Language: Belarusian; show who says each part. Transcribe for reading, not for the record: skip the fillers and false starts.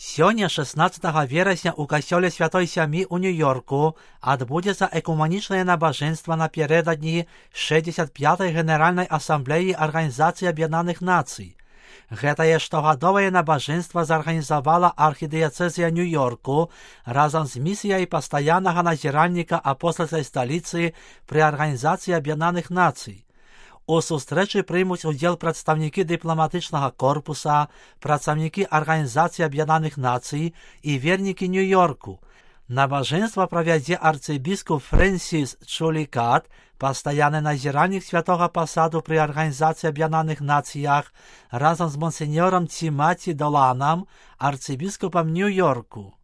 Speaker 1: Сёння, 16 верасня, у касцёле Святой Сямі ў Нью-Йорку адбудзецца экуманічнае набажэнства напярэдадні 65-й Генеральнай Асамблеі Арганізацыі Аб'яднаных Нацый. Гэтае штогадовае набажэнства зарганізавала архідыяцэзія Нью-Йорку разам з місіяй пастаяннага назіральніка апостальскай сталіцы пры Арганізацыі Аб'яднаных Нацый. У сустрэчы прымуць удзел прадстаўнікі дыпламатычнага корпуса, працаўнікі Арганізацыі Аб'яднаных Нацый і вернікі Нью-Йорку. Набажэнства правядзе арцыбіскуп Фрэнсіс Чулікат, пастаянны назіральнік святога пасаду пры Арганізацыі Аб'яднаных Нацыях, разам з монсеньорам Тімаці Доланам, арцыбіскупам Нью-Йорку.